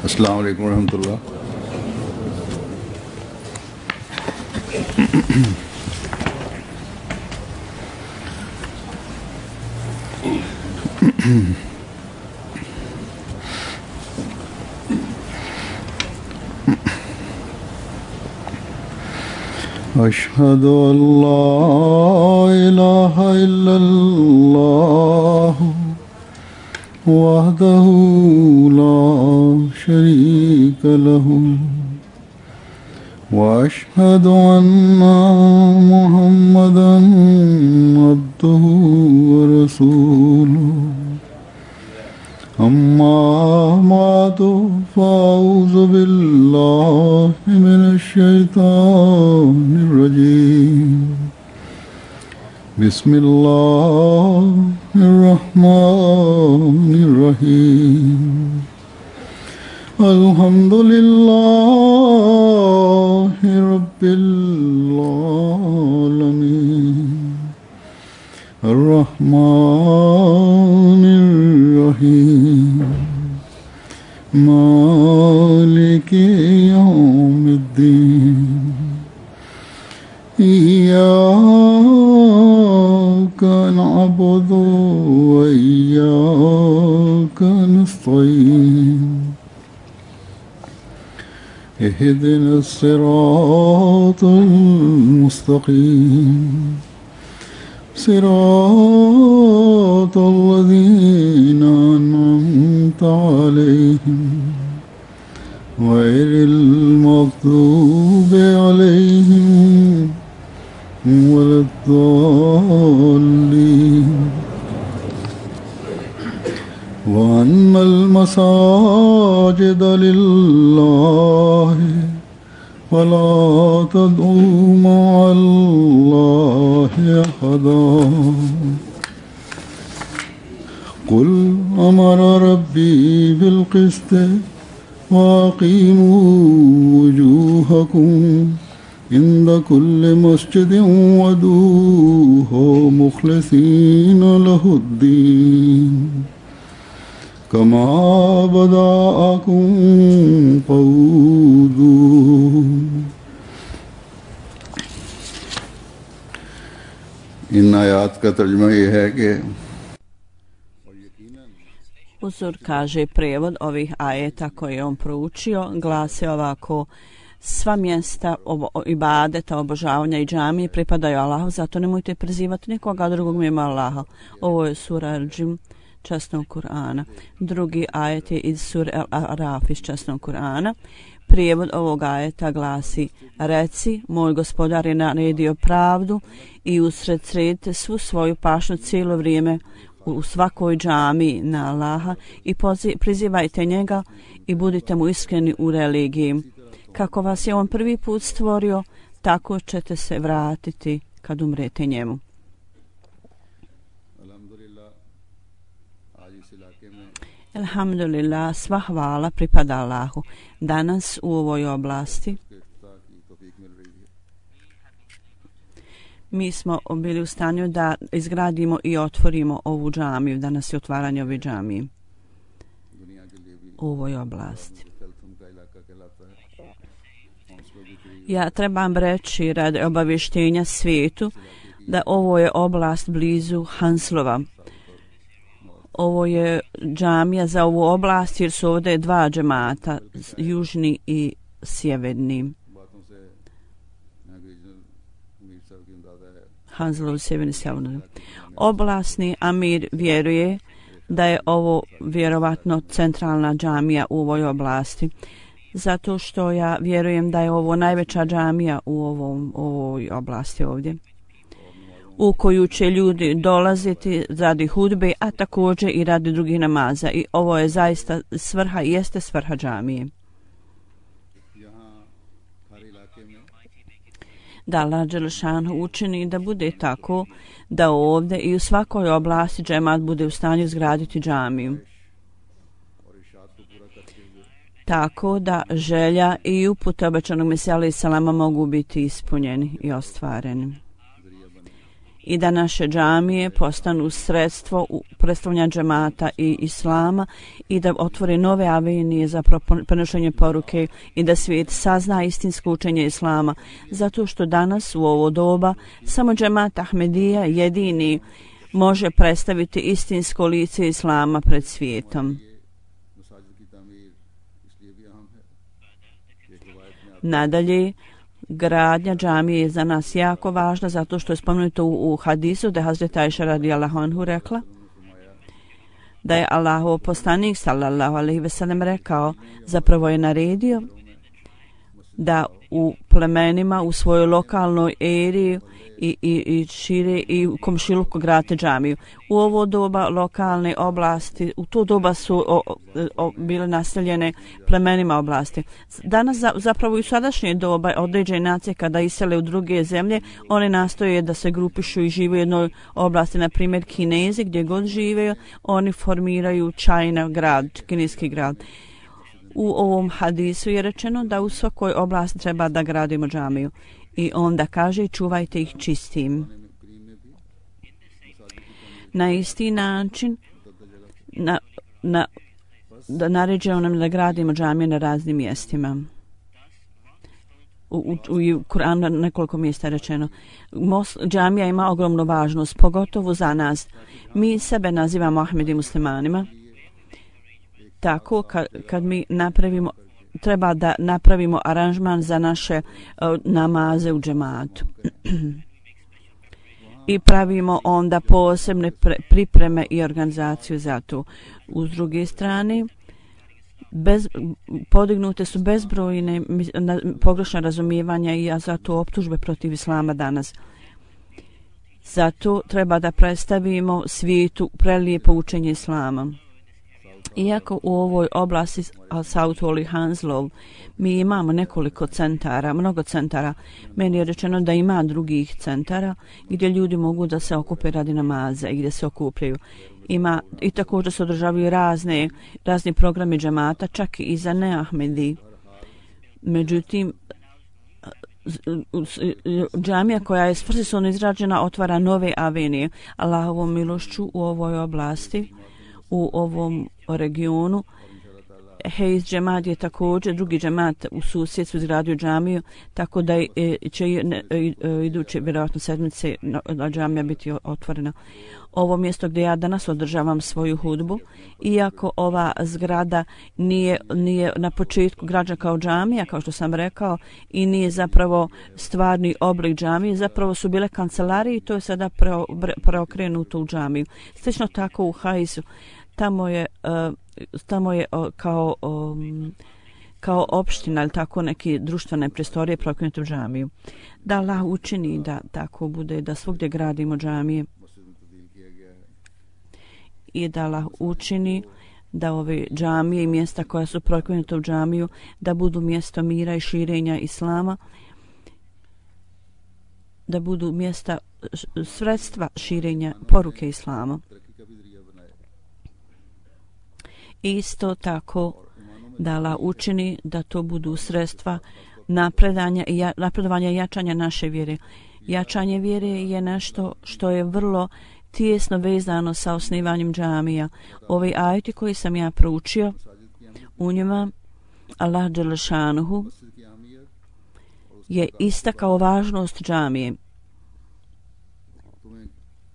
अस्सलाम वालेकुम रहमतुल्लाह। अशहदु अल्ला इलाहा इल्लल्लाह वहदहु ला शरीका लहु वअशहदु अन्ना मुहम्मदन अब्दुहु व रसूलुहु अम्मा बादु फ़अऊज़ु बिल्लाहि मिनश शैतानिर रजीम बिस्मिल्लाहिर रहमानिर रहीम अल्हम्दुलिल्लाहि रब्बिल आलमीन अर्रहमानिर रहीम मालिकि यौमिद्दीन इय्याका नअबुदु व इय्याका नस्तईन इहदिनस सिरातल मुस्तक़ीम सिरातल लज़ीना अनअमता अलैहिम गैरिल मग़्दूबि अलैहिम वलद्दाल्लीन वअन्नल मसाजिद लिल्लाहि फला तदउ मअल्लाहि अहदा कुल अमरा रब्बी बिल क़िस्त वअक़ीमू वुजूहकुम इंद कुल्लि मस्जिदिन वदूहु मुख़लिसीन लहुद्दीन कमा बदाअकुम क़ऊदून। इन आयात का तर्जुमा ये है कि Uzur kaže prijevod ovih ajeta koje je on proučio, glasi ovako: sva mjesta ibadeta, obožavanja i džamije pripadaju Allahu, zato nemojte prizivati nikoga drugog mimo Allaha. Ovo je sura Al-Džin časnog Kur'ana. Drugi ajet je iz sure Al-Araf iz časnog Kur'ana. Prijevod ovog ajeta glasi: reci, moj gospodar je naredio pravdu i usred sredite svu svoju pašnju cijelo vrijeme u svakoj džamiji na Allaha i prizivajte njega i budite mu iskreni u religiji. Kako vas je on prvi put stvorio, tako ćete se vratiti kad umrete njemu. Alhamdulillah, sva hvala pripada Allahu. Danas u ovoj oblasti mi smo bili u stanju da izgradimo i otvorimo ovu džamiju. Danas je otvaranje ove džamije u ovoj oblasti. Ja trebam reći radi obavještenja svijetu da ovo je oblast blizu Hanslova. Ovo je džamija za ovu oblast jer su ovdje dva džemata, južni i sjeverni. Hanslov sjeverni sjeverni. Oblasni amir vjeruje da je ovo vjerovatno centralna džamija u ovoj oblasti. Zato što ja vjerujem da je ovo najveća džamija u ovoj oblasti ovdje, u koju će ljudi dolaziti radi hudbe, a također i radi drugih namaza. I ovo je zaista svrha, jeste svrha džamije. Da Allah dželešanu učini da bude tako da ovdje i u svakoj oblasti džemat bude u stanju izgraditi džamiju. Tako da želja i upute obećanog Mesija alejhi selama mogu biti ispunjeni i ostvareni. i da naše džamije postanu sredstvo predstavljanja džemata i islama i da otvore nove avenije za prenošenje poruke i da svijet sazna istinsko učenje islama. Zato što danas u ovo doba samo džemat Ahmedija jedini može predstaviti istinsko lice islama pred svijetom. Nadalje, gradnja džamije je za nas jako važna zato što je spomenuto u hadisu da je Hazret Ajša radijallahu anhu rekla da je Allahov poslanik sallallahu alejhi ve sellem rekao, zapravo je naredio da u plemenima u svojoj lokalnoj eri i šire i u komšiluku grate džamiju. U ovo doba lokalne oblasti, u to doba su bile naseljene plemenima oblasti. Danas zapravo i u sadašnje doba određene nacije kada isele u druge zemlje, one nastoje da se grupišu i žive u jednoj oblasti, na primjer Kinezi gdje god žive, oni formiraju China grad, kineski grad. U ovom hadisu je rečeno da u svakoj oblasti treba da gradimo džamiju. I onda kaže čuvajte ih čistim. Na isti način da naređeno nam da gradimo džamije na raznim mjestima. U Kur'anu nekoliko mjesta je rečeno. Džamija ima ogromnu važnost, pogotovo za nas. Mi sebe nazivamo Ahmedi muslimanima. Tako kad mi napravimo, treba da napravimo aranžman za naše namaze u džematu. I pravimo onda posebne pripreme i organizaciju za to. Uz druge strane, podignute su bezbrojne pogrešna razumijevanja i zato optužbe protiv islama danas. Zato treba da predstavimo svijetu prelijepo učenje islama. Iako u ovoj oblasti South Wall i Hounslow mi imamo nekoliko centara, mnogo centara, meni je rečeno da ima drugih centara gdje ljudi mogu da se okupe radi namaza i gdje se okupljaju. Ima i također se održavaju razni programi džemata, čak i za neahmedi. Međutim, džamija koja je svrsishodno izrađena otvara nove avenije. Allahovom milošću u ovoj oblasti, u ovom regionu. Hejz džemat je također drugi džemat u susjedstvu izgradio džamiju, tako da će iduće vjerojatno sedmice džamija biti otvorena. Ovo mjesto gdje ja danas održavam svoju hudbu, iako ova zgrada nije na početku građena kao džamija, kao što sam rekao, i nije zapravo stvarni oblik džamije, zapravo su bile kancelarije i to je sada preokrenuto u džamiju. Slično tako u Hajzu. Tamo je kao opština ili tako neke društvene prostorije preokrenute u džamiju. Da Allah učini da tako bude, da svugdje gradimo džamije i da Allah učini da ove džamije i mjesta koja su preokrenute u džamiju da budu mjesto mira i širenja islama, da budu mjesta sredstva širenja poruke islama. Isto tako da Allah učini da to budu sredstva napredovanja i jačanja naše vjere. Jačanje vjere je nešto što je vrlo tijesno vezano sa osnivanjem džamija. Ovi ajeti koji sam ja proučio, u njima Allah dželešanuhu je istakao važnost džamije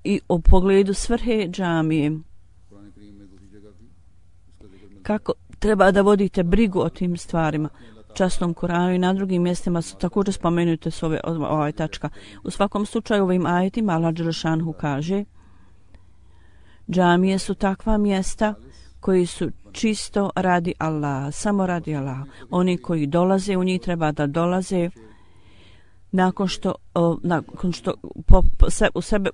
i u pogledu svrhe džamije. Kako treba da vodite brigu o tim stvarima. Časnom Kuranu i na drugim mjestima su također spomenute s ove tačka. U svakom slučaju ovim ajetima Allah dželešanuhu kaže džamije su takva mjesta koji su čisto radi Allaha, samo radi Allaha. Oni koji dolaze u njih treba da dolaze nakon što u sebe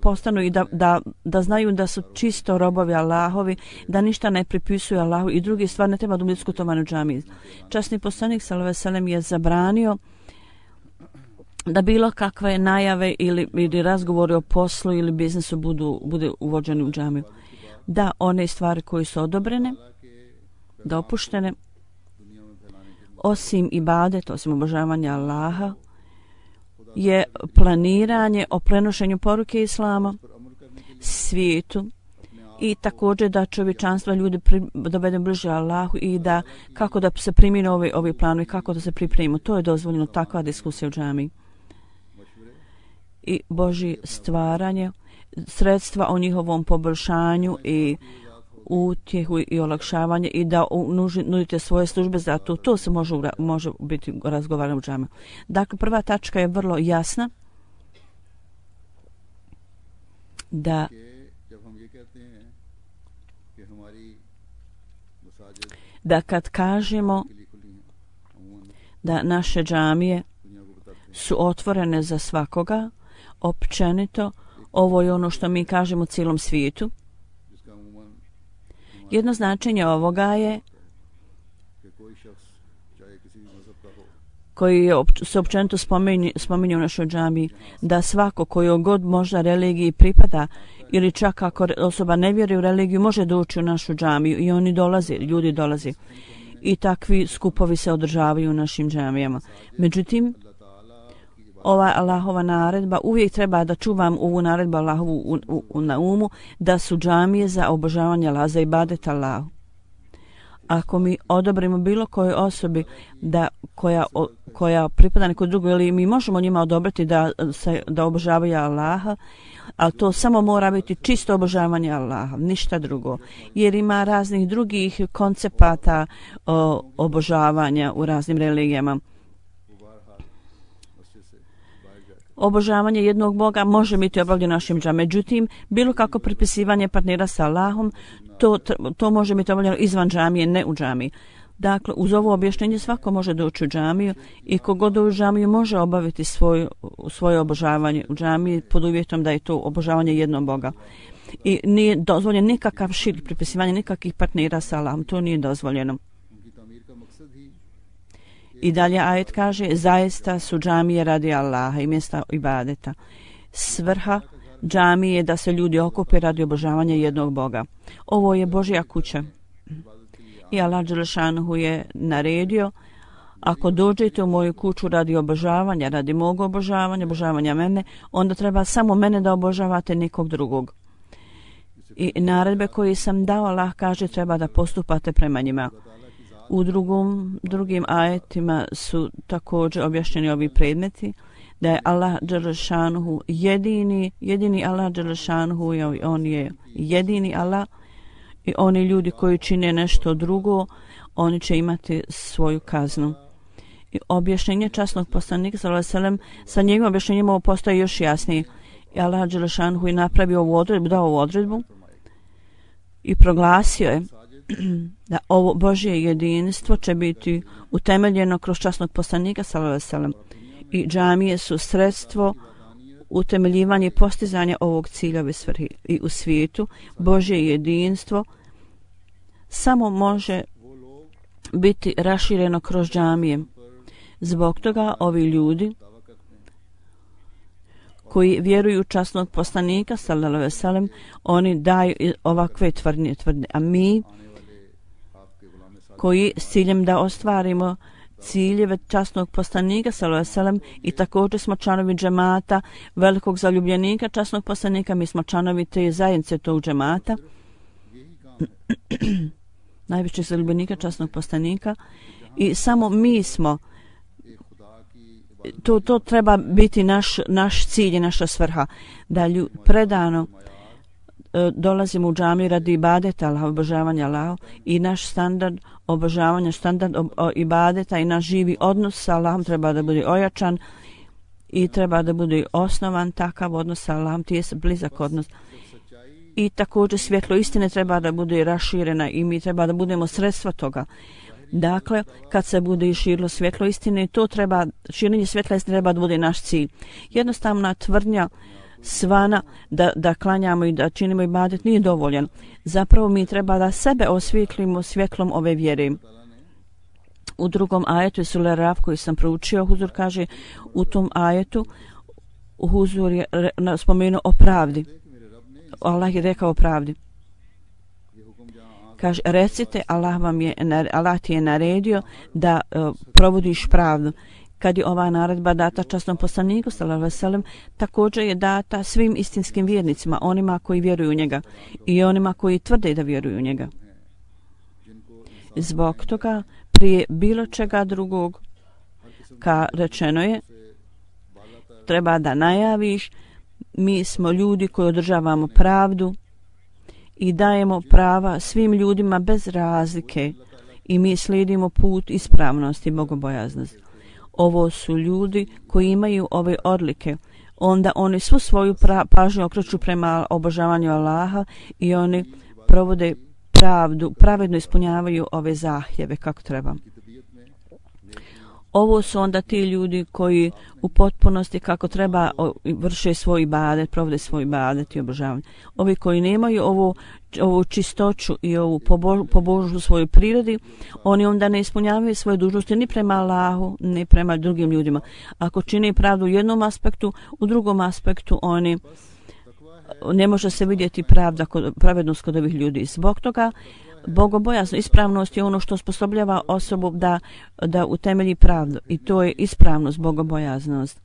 postanu i da znaju da su čisto robovi Allahovi, da ništa ne pripisuju Allahu i drugi stvar ne treba da diskutovati u džamiji. Časni poslanik sallallahu alejhi ve sellem je zabranio da bilo kakve najave ili razgovori o poslu ili biznisu bude uvođeni u džamiju. Da one stvari koje su odobrene, dopuštene, osim ibadet, osim obožavanja Allaha, je planiranje o prenošenju poruke Islama svijetu i također da čovječanstva ljudi dovede bliže Allahu i da kako da se primjene ovi planovi, kako da se pripremimo. To je dozvoljeno, takva diskusija u džamiji. I Božje stvaranje, sredstva o njihovom poboljšanju i utjehu i olakšavanje i da nudite svoje službe za to. To se može biti razgovarano u džamiji. Dakle, prva tačka je vrlo jasna da kad kažemo da naše džamije su otvorene za svakoga, općenito, ovo je ono što mi kažemo cijelom svijetu. Jedno značenje ovoga je koji se općenito spominje u našoj džamiji, da svako koji god možda religiji pripada ili čak ako osoba ne vjeruje u religiju može doći u našu džamiju i oni dolaze, ljudi dolaze i takvi skupovi se održavaju u našim džamijama. Međutim, ova Allahova naredba, uvijek treba da čuvam ovu naredbu Allahovu na umu, da su džamije za obožavanje Allaha, za ibadet Allahu. Ako mi odobrimo bilo kojoj osobi koja pripada nekoj drugoj, ili mi možemo njima odobriti da obožavaju Allaha, ali to samo mora biti čisto obožavanje Allaha, ništa drugo. Jer ima raznih drugih koncepata obožavanja u raznim religijama. Obožavanje jednog Boga može biti obavljeno našim džamijama. Međutim, bilo kako pripisivanje partnera sa Allahom, to može biti obavljeno izvan džamije, ne u džamiji. Dakle, uz ovo objašnjenje svako može doći u džamiju i kogod u džamiju može obaviti svoje obožavanje u džamiji pod uvjetom da je to obožavanje jednog Boga. I nije dozvoljeno nikakav širk, pripisivanje nikakvih partnera sa Allahom, to nije dozvoljeno. I dalje ajet kaže, zaista su džamije radi Allaha i mjesta ibadeta. Svrha džamije je da se ljudi okupe radi obožavanja jednog Boga. Ovo je Božja kuća. I Allah dželešanuhu je naredio, ako dođete u moju kuću radi obožavanja, radi mog obožavanja mene, onda treba samo mene da obožavate, nikog drugog. I naredbe koje sam dao, Allah kaže, treba da postupate prema njima. U drugim ajetima su također objašnjeni ovi predmeti, da je Allah dželešanuhu jedini Allah dželešanuhu, on je jedini Allah i oni ljudi koji čine nešto drugo, oni će imati svoju kaznu. I objašnjenje časnog poslanika sallallahu alejhi ve sellem, sa njegovim objašnjenjem ovo postaje još jasnije. I Allah dželešanuhu je napravio ovu odredbu, dao ovu odredbu i proglasio je da ovo Božje jedinstvo će biti utemeljeno kroz časnog poslanika sallallahu alejhi ve sellem. I džamije su sredstvo utemeljivanja i postizanja ovog cilja ove svrhe. I u svijetu Božje jedinstvo samo može biti rašireno kroz džamije. Zbog toga ovi ljudi koji vjeruju u časnog poslanika sallallahu alejhi ve sellem, oni daju ovakve tvrdnje, a mi koji s ciljem da ostvarimo ciljeve časnog poslanika sallallahu alejhi ve sellem i također smo članovi džemata velikog zaljubljenika časnog poslanika, mi smo članovi te zajednice tog džemata najvećeg zaljubljenika časnog poslanika i samo mi smo to treba biti naš cilj i naša svrha da predano dolazimo u džamiju radi ibadeta Allaha, obožavanja Allaha i naš standard obožavanja, standard ibadeta i naš živi odnos sa Allahom treba da bude ojačan i treba da bude osnovan takav odnos sa Allahom, tijesan, blizak odnos. I također svjetlo istine treba da bude raširena i mi treba da budemo sredstva toga. Dakle, kad se bude širilo svjetlo istine, širenje svjetla istine treba da bude naš cilj. Jednostavna tvrdnja svana da klanjamo i da činimo ibadet nije dovoljan. Zapravo mi treba da sebe osvijetlimo svjetlom ove vjere. U drugom ajetu Sure Raf koji sam proučio, Huzur kaže u tom ajetu, Huzur je spomenuo o pravdi. Allah je rekao o pravdi. Kaže, recite, Allah ti je naredio da provodiš pravdu. kad je ova naredba data časnom poslaniku sallallahu alejhi ve sellem, također je data svim istinskim vjernicima, onima koji vjeruju u njega i onima koji tvrde da vjeruju u njega. Zbog toga prije bilo čega drugog rečeno je, treba da najaviš, mi smo ljudi koji održavamo pravdu i dajemo prava svim ljudima bez razlike i mi slijedimo put ispravnosti i bogobojaznosti. Ovo su ljudi koji imaju ove odlike, onda oni svu svoju pažnju okreću prema obožavanju Allaha i oni provode pravdu, pravedno ispunjavaju ove zahtjeve kako treba. Ovo su onda ti ljudi koji u potpunosti kako treba vrše svoj ibadet, provode svoj ibadet i obožavanje. Ovi koji nemaju ovu čistoću i ovu pobožnu svojoj prirodi, oni onda ne ispunjavaju svoje dužnosti ni prema Allahu, ni prema drugim ljudima. Ako čine pravdu u jednom aspektu, u drugom aspektu oni ne može se vidjeti pravednost kod ovih ljudi. Zbog toga bogobojazno, ispravnost je ono što osposobljava osobu da utemelji pravdu i to je ispravnost, bogobojaznost.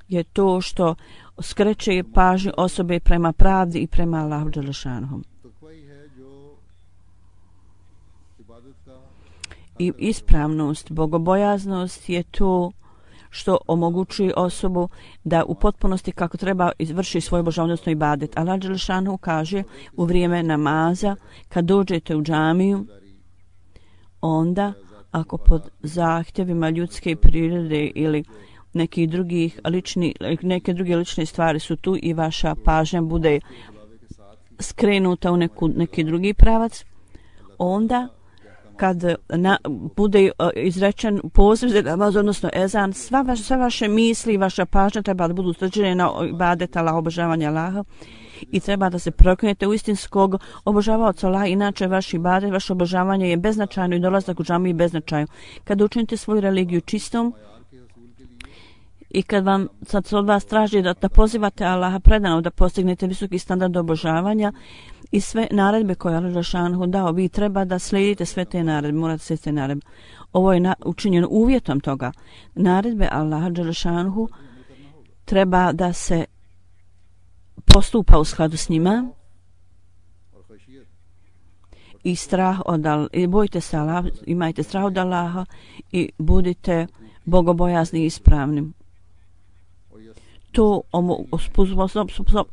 Je to što skreće pažnju osobe prema pravdi i prema Allahu dželešanu. I ispravnost, bogobojaznost je to što omogućuje osobu da u potpunosti kako treba izvrši svoj božanstveni ibadet. Allah dželešanu kaže u vrijeme namaza kad dođete u džamiju, onda ako pod zahtjevima ljudske prirode ili neke druge lične stvari su tu i vaša pažnja bude skrenuta u neki drugi pravac, onda kad bude izrečen poziv za namaz, odnosno ezan, sve vaše misli i vaša pažnja treba da budu usređene na ibadet Allaha, obožavanje Allaha i treba da se proklinete u istinskog obožavaoca Allaha, inače vaš ibadet, vaše obožavanje je beznačajno i dolazak u džamiju beznačajno. Kad učinite svoju religiju čistom i kad vam sad od vas traži da pozivate Allaha predano da postignete visoki standard obožavanja i sve naredbe koje Allah dželešanu dao, vi treba da slijedite sve te naredbe, morate slijediti te naredbe. Ovo je učinjeno uvjetom toga. Naredbe Allaha dželešanu treba da se postupa u skladu s njima i strah od i bojte se Allaha, imajte strah od Allaha i budite bogobojazni i ispravni. To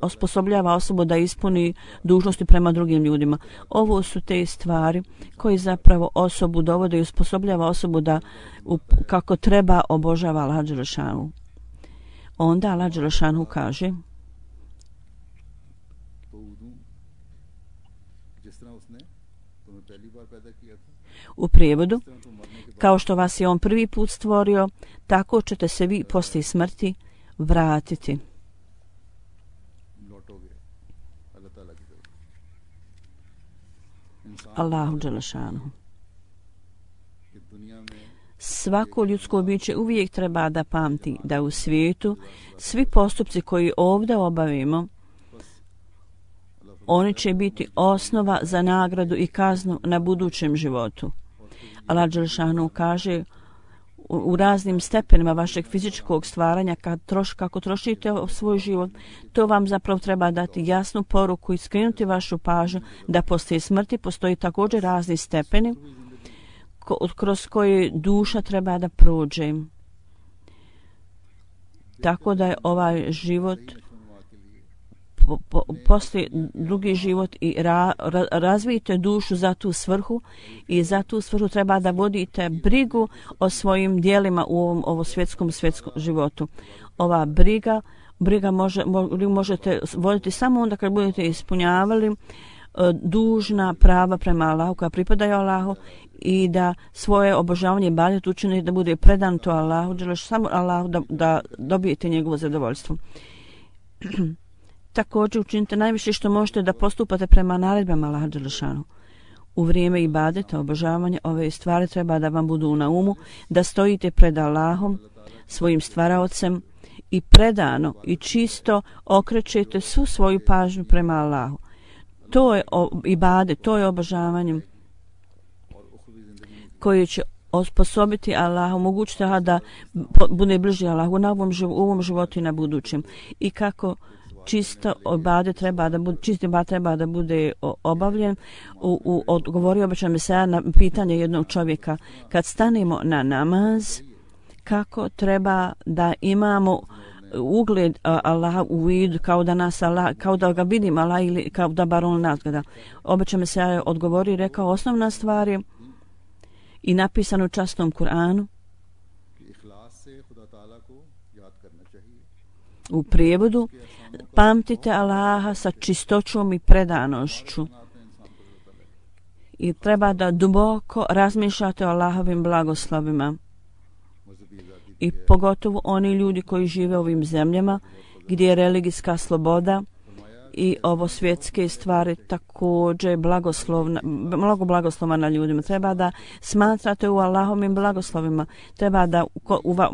osposobljava osobu da ispuni dužnosti prema drugim ljudima. Ovo su te stvari koji zapravo osobu dovode i osposobljava osobu da kako treba obožava Allah dželešanu. Onda Allah dželešanu kaže u prijevodu, kao što vas je on prvi put stvorio, tako ćete se vi poslije smrti vratiti. Allahu dželešanu. Svako ljudsko biće uvijek treba da pamti da u svijetu svi postupci koji ovdje obavimo, oni će biti osnova za nagradu i kaznu na budućem životu. Allah dželešanu kaže u raznim stepenima vašeg fizičkog stvaranja kako trošite svoj život, to vam zapravo treba dati jasnu poruku i skrenuti vašu pažnju da poslije smrti postoji također razni stepeni kroz koje duša treba da prođe. Tako da je ovaj život poslije drugi život i razvijete dušu za tu svrhu i za tu svrhu treba da vodite brigu o svojim dijelima u ovom svjetskom životu. Ova briga možete voditi samo onda kad budete ispunjavali dužna prava prema Allahu koja pripadaju Allahu i da svoje obožavanje ibadet učinite da bude predan to Allahu, samo Allahu da dobijete njegovo zadovoljstvo. Također učinite najviše što možete da postupate prema naredbama Allaha dželešanu. U vrijeme ibadeta, obožavanja, ove stvari treba da vam budu na umu, da stojite pred Allahom, svojim stvaraocem i predano i čisto okrećete svu svoju pažnju prema Allahu. To je ibadet, to je obožavanje koje će osposobiti Allah, omogućiti Allah da bude bliži Allahu u ovom životu i na budućem. I kako čisto ibadet treba da bude obavljen. Odgovorio bi me sada na pitanje jednog čovjeka. Kad stanemo na namaz, kako treba da imamo ugled Allaha u vidu, kao da ga vidim Allah ili kao da bar on nas gleda. Obeća me se odgovorio i rekao, osnovna stvar je i napisano u časnom Kur'anu u prijevodu, pamtite Allaha sa čistoćom i predanošću i treba da duboko razmišljate o Allahovim blagoslovima. I pogotovo oni ljudi koji žive u ovim zemljama gdje je religijska sloboda i ovo svjetske stvari također mnogo blagoslova na ljudima. Treba da smatrate u Allahovim blagoslovima. Treba da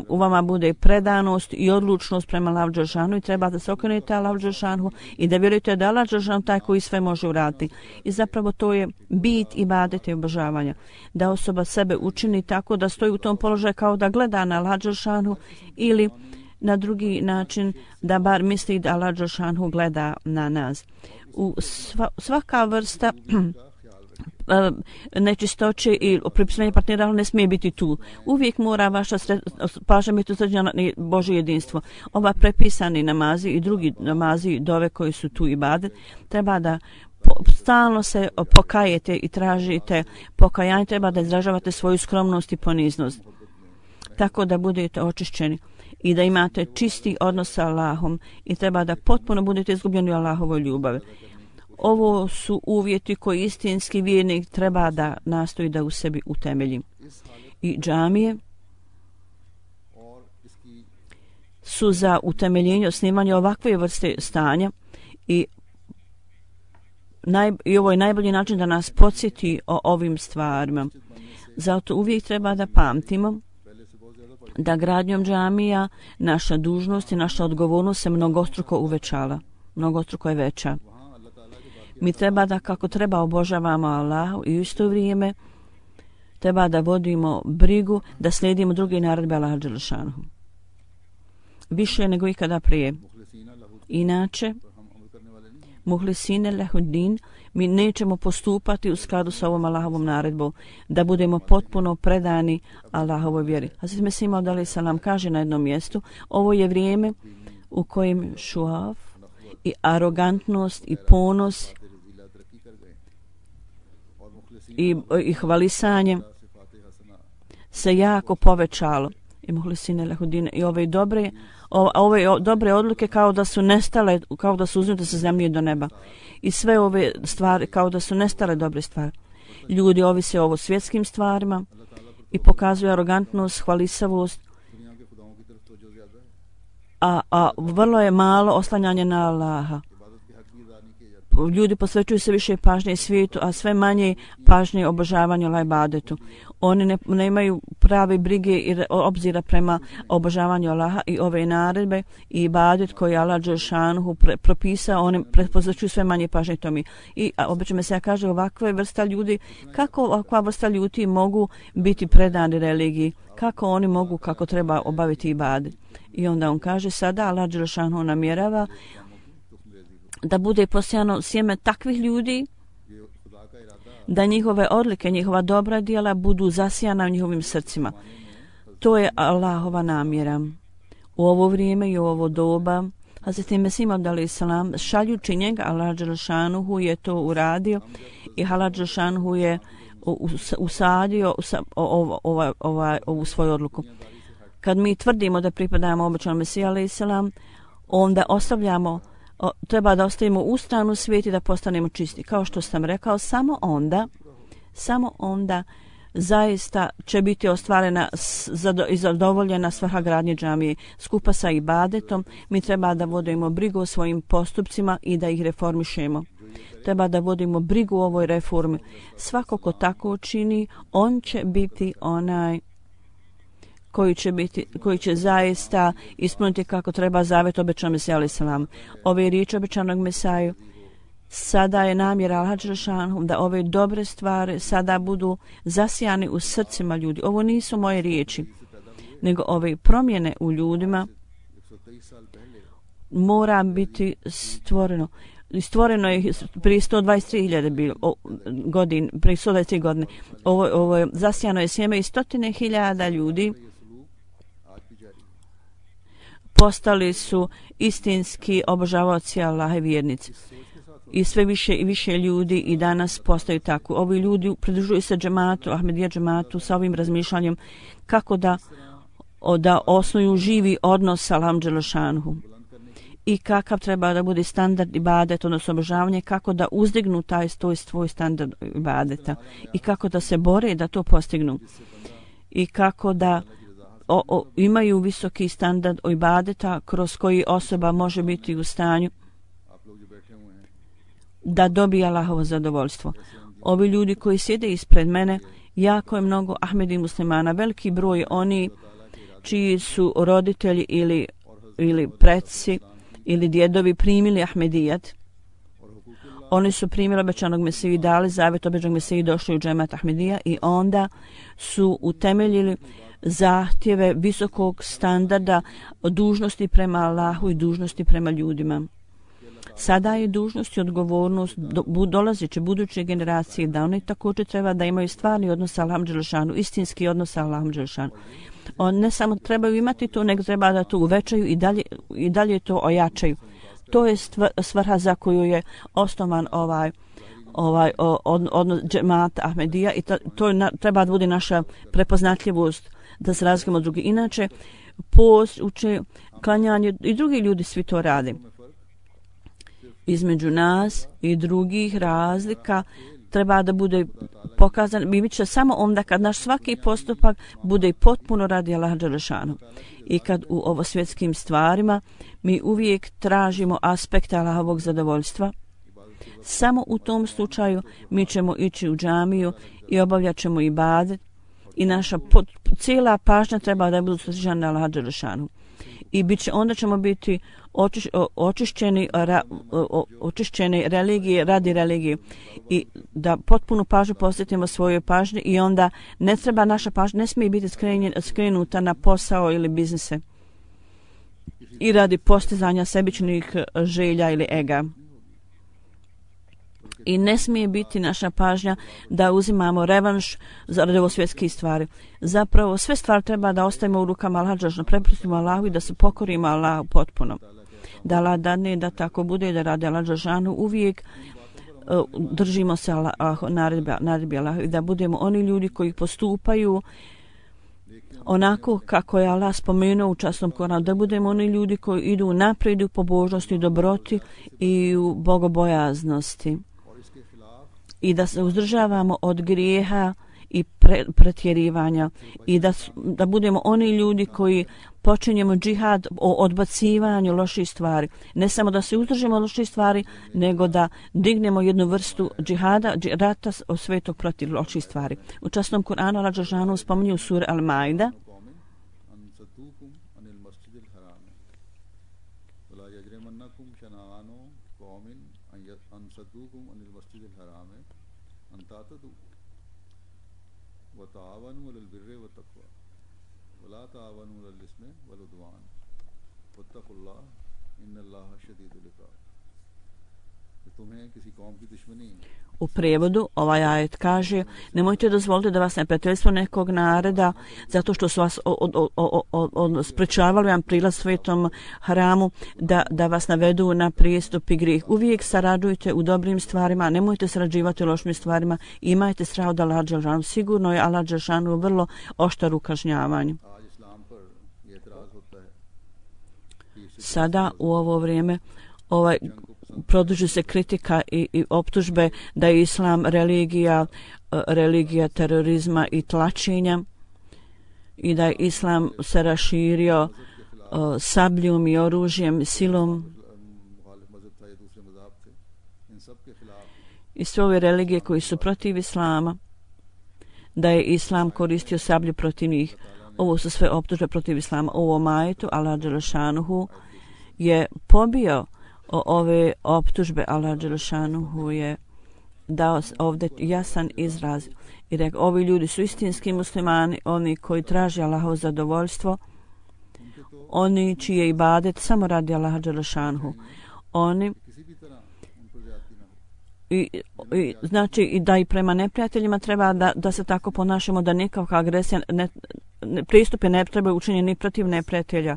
u vama bude predanost i odlučnost prema Allahu dželešanu i treba da se okrenete Allahu dželešanu i da vjerujete da Allah dželešanu taj koji sve može uraditi. I zapravo to je bit ibadeta i obožavanja. Da osoba sebe učini tako da stoji u tom položaju kao da gleda na Allahu dželešanu ili na drugi način da bar misli da Allah dželešanu gleda na nas. Svaka vrsta nečistoće i pripisivanje partnera ne smije biti tu. Uvijek mora vaša pažnja biti usređena na Božje jedinstvo. Ova prepisani namazi i drugi namazi dove koji su tu ibadet, treba da stalno se pokajete i tražite pokajanje, treba da izražavate svoju skromnost i poniznost. Tako da budete očišćeni i da imate čisti odnos sa Allahom i treba da potpuno budete izgubljeni u Allahovoj ljubavi. Ovo su uvjeti koji istinski vjernik treba da nastoji da u sebi utemelji. I džamije su za utemeljenje, osnivanje ovakve vrste stanja i ovo je najbolji način da nas podsjeti o ovim stvarima. Zato uvijek treba da pamtimo da gradnjom džamija naša dužnost i naša odgovornost se mnogostruko uvećala. Mnogostruko je veća. Mi treba da kako treba obožavamo Allahu i u isto vrijeme treba da vodimo brigu da slijedimo druge naredbe Allaha dželešanu. Više nego ikada prije. Inače, muhlisine lehuddin, mi nećemo postupati u skladu sa ovom Allahovom naredbom, da budemo potpuno predani Allahovoj vjeri. Hazret Mesih Maud alejhi selam kaže na jednom mjestu, ovo je vrijeme u kojem šuaf i arogantnost i ponos i hvalisanje se jako povećalo. I muhlisine lehuddin i ove dobre odluke kao da su nestale, kao da su uznute sa zemlje do neba. I sve ove stvari kao da su nestale dobre stvari. Ljudi ovise o svjetskim stvarima i pokazuju arogantnost, hvalisavost, a vrlo je malo oslanjanje na Allaha. Ljudi posvećuju se više pažnje svijetu, a sve manje pažnje obožavanju Allaha ibadetu. Oni nemaju prave brige i obzira prema obožavanju Allaha i ove naredbe i ibadet koji Allah dželešanu propisao, oni posvećuju sve manje pažnje tome. I obično se kaže ovakve vrsta ljudi, kako ovakva vrsta ljudi mogu biti predani religiji, kako oni mogu, kako treba obaviti ibadet. I onda on kaže sada Allah dželešanu namjerava da bude posijano sjeme takvih ljudi, da njihove odlike, njihova dobra djela budu zasijana u njihovim srcima. To je Allahova namjera. U ovo vrijeme i u ovo doba, Hazret Mesih Maud alejhi selam, šaljući njega, Allah dželešanu je to uradio i Allah dželešanu je usadio ovu svoju odluku. Kad mi tvrdimo da pripadamo obećanom Mesiju alejhi selam, onda treba da ostavimo u stranu svijet i da postanemo čisti. Kao što sam rekao, samo onda zaista će biti ostvarena i zadovoljena svrha gradnje džamije. Skupa sa ibadetom mi treba da vodimo brigu o svojim postupcima i da ih reformišemo. Treba da vodimo brigu o ovoj reformi. Svako ko tako čini, on će biti onaj koji će zaista ispuniti kako treba zavet obećanog Mesija alejhi selam. Ove riječi obećanog Mesaju Sada je namjera Allaha dželešanu da ove dobre stvari sada budu zasijane u srcima ljudi. Ovo nisu moje riječi, nego ove promjene u ljudima mora biti stvoreno. Stvoreno je prije 123.000 godina, prije 123 godine. Ovo je zasijano je sjeme i 100.000 ljudi postali su istinski obožavaoci Allaha i vjernici. I sve više i više ljudi i danas postaju tako. Ovi ljudi pridružuju se džematu, Ahmedija džematu sa ovim razmišljanjem kako da osnuju živi odnos sa Allahom dželešanuhu. I kakav treba da bude standard ibadet, odnosno obožavanje, kako da uzdignu taj svoj standard ibadeta i kako da se bore da to postignu i kako da imaju visoki standard ibadeta kroz koji osoba može biti u stanju da dobije Allahovo zadovoljstvo. Ovi ljudi koji sjede ispred mene, jako je mnogo Ahmedi muslimana, veliki broj oni čiji su roditelji ili preci ili djedovi primili Ahmedijat. Oni su primili obećanog Mesiju i dali zavjet obećanog Mesiju i došli u džemat Ahmedija i onda su utemeljili zahtjeve visokog standarda dužnosti prema Allahu i dužnosti prema ljudima. Sada je dužnost i odgovornost dolazeće buduće generacije da oni također treba da imaju stvarni odnos sa Allahom dželešanu, istinski odnos sa Allahom dželešanu. On ne samo trebaju imati to, nego treba da to uvećaju i dalje to ojačaju. To je svrha za koju je osnovan odnos džemata Ahmedija i to treba da bude naša prepoznatljivost da se razlikujemo od drugih. Inače, post, uče, klanjanje i drugi ljudi svi to rade. Između nas i drugih razlika treba da bude pokazan, bit će samo onda kad naš svaki postupak bude potpuno radi Allaha dželešanu. I kad u ovo svjetskim stvarima mi uvijek tražimo aspekte Allahovog zadovoljstva, samo u tom slučaju mi ćemo ići u džamiju i obavljat ćemo ibadet i naša cijela pažnja treba da bude usređena na Allaha dželešanu. I onda ćemo biti očišćeni religije radi religije i da potpunu pažnju posvetimo svojoj pažnji i onda ne treba naša pažnja, ne smije biti skrenuta na posao ili biznise i radi postizanja sebičnih želja ili ega. I ne smije biti naša pažnja da uzimamo revanš za ovo svjetske stvari. Zapravo sve stvari treba da ostavimo u rukama Allaha dželešanu, prepustimo Allahu i da se pokorimo Allahu potpuno. Da Allah dadne da tako bude, da radi Allaha dželešanu uvijek držimo se naredbi Allaha i da budemo oni ljudi koji postupaju onako kako je Allah spomenuo u časnom Koranu, da budemo oni ljudi koji idu naprijed u pobožnosti, dobroti i u bogobojaznosti. I da se uzdržavamo od grijeha i pretjerivanja i da budemo oni ljudi koji počinjemo džihad o odbacivanju loših stvari. Ne samo da se uzdržimo od loših stvari, nego da dignemo jednu vrstu džihada, rata svetog protiv loših stvari. U časnom Kur'anu Allah dželešanu spominje u suri Al-Maida وتعاونوا على البر والتقوى ولا تعاونوا على الإثم والعدوان واتقوا الله إن الله شديد العقاب. तुम्हें किसी कौम की दुश्मनी U prijevodu ovaj ajet kaže: nemojte dozvoliti da vas neprijateljstvo nekog naroda zato što su vas sprečavali vam prilaz svetom haramu da vas navedu na prijestup i grijeh. Uvijek sarađujte u dobrim stvarima, nemojte sarađivati u lošim stvarima i imajte strah od Allaha dželešanu. Sigurno je Allah dželešanu vrlo oštar u kažnjavanju. Sada u ovo vrijeme produži se kritika i optužbe da je islam religija terorizma i tlačenja i da je islam se raširio sabljom i oružjem, silom. I sve ove religije koji su protiv islama, da je islam koristio sablju protiv njih. Ovo su sve optužbe protiv islama. U ovom ajetu Allah dželešanuhu je pobio ove optužbe. Allah dželešanuhu je dao ovdje jasan izraz i rekao, ovi ljudi su istinski muslimani, oni koji traže Allahovo zadovoljstvo, oni čije ibadet samo radi Allaha dželešanuhu. Oni znači i da i prema neprijateljima treba da se tako ponašamo, da nikakva agresija pristupe ne treba učiniti ni protiv neprijatelja.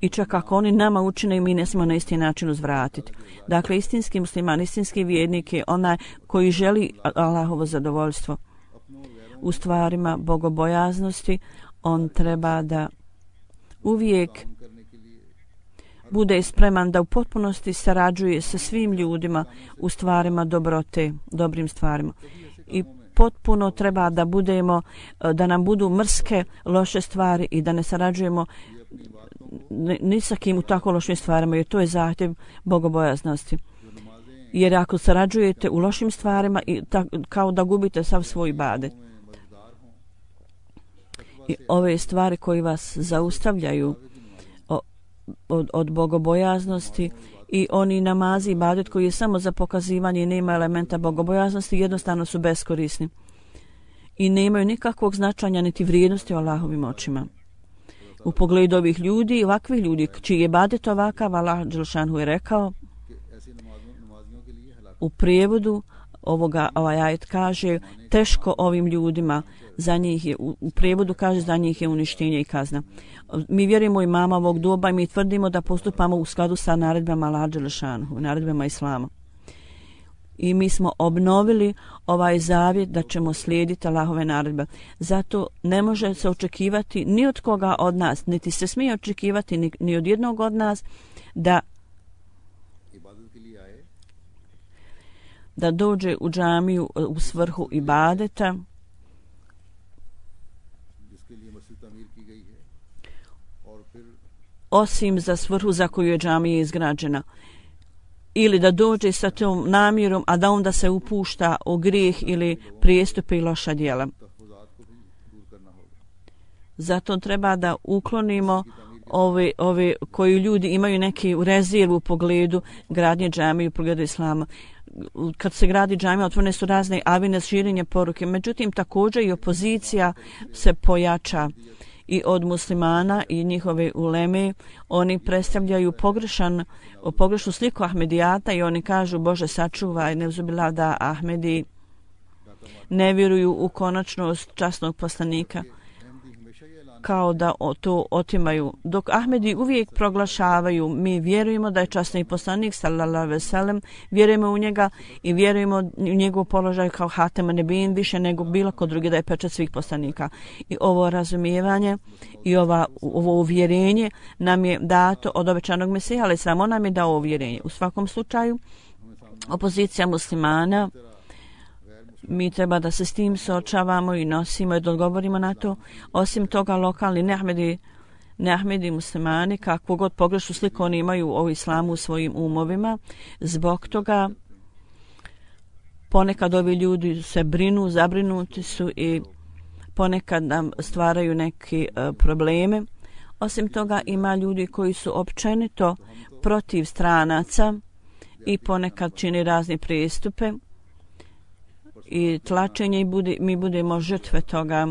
I čak ako oni nama učine i mi ne smijemo na isti način uzvratiti. Dakle, istinski musliman, istinski vjernik je onaj koji želi Allahovo zadovoljstvo. U stvarima bogobojaznosti on treba da uvijek bude spreman da u potpunosti sarađuje sa svim ljudima u stvarima dobrote, dobrim stvarima. I potpuno treba da budemo, da nam budu mrske, loše stvari i da ne sarađujemo ni sa kim u tako lošim stvarima, jer to je zahtjev bogobojaznosti. Jer ako sarađujete u lošim stvarima, kao da gubite sav svoj ibadet. I ove stvari koji vas zaustavljaju od bogobojaznosti i oni namazi, ibadet koji je samo za pokazivanje i nema elementa bogobojaznosti, jednostavno su beskorisni i nemaju nikakvog značanja niti vrijednosti u Allahovim očima. U pogledu ovih ljudi, ovakvih ljudi čiji je ibadet ovakav, Allah dželešanu je rekao u prijevodu ovaj ajet kaže teško ovim ljudima, za njih je, u prijevodu kaže za njih je uništenje i kazna. Mi vjerujemo u imama ovog doba i mi tvrdimo da postupamo u skladu sa naredbama Allah dželešanu, naredbama Islama. I mi smo obnovili ovaj zavjet da ćemo slijediti Allahove naredbe. Zato ne može se očekivati ni od koga od nas, niti se smije očekivati ni od jednog od nas da dođe u džamiju u svrhu ibadeta osim za svrhu za koju je džamija izgrađena. Ili da dođe sa tom namjerom, a da onda se upušta u grijeh ili prijestupe i loša djela. Zato treba da uklonimo ove koji ljudi imaju neki rezervu u pogledu gradnje džamije, u pogledu islama. Kad se gradi džamija, otvorene su razne avine širenja poruke. Međutim, također i opozicija se pojača i od muslimana i njihove uleme. Oni predstavljaju pogrešnu sliku Ahmedijata i oni kažu Bože sačuvaj, neuzubillah da Ahmedi ne vjeruju u konačnost časnog poslanika, kao da to otimaju. Dok Ahmedi uvijek proglašavaju mi vjerujemo da je časni poslanik sallallahu alejhi ve sellem, vjerujemo u njega i vjerujemo u njegov položaj kao Hatema Nebin više nego bilo ko drugi, da je pečat svih poslanika. I ovo razumijevanje i ovo uvjerenje nam je dato od obećanog Mesija, ali samo nam je dao uvjerenje. U svakom slučaju opozicija muslimana, mi treba da se s tim suočavamo i nosimo i da odgovorimo na to. Osim toga, lokalni neahmedi muslimani, kakvu god pogrešnu sliku oni imaju o islamu u svojim umovima, zbog toga ponekad ovi ljudi se brinu, zabrinuti su i ponekad nam stvaraju neke probleme. Osim toga, ima ljudi koji su općenito protiv stranaca i ponekad čini razne prijestupe i tlačenje i mi budemo žrtve toga.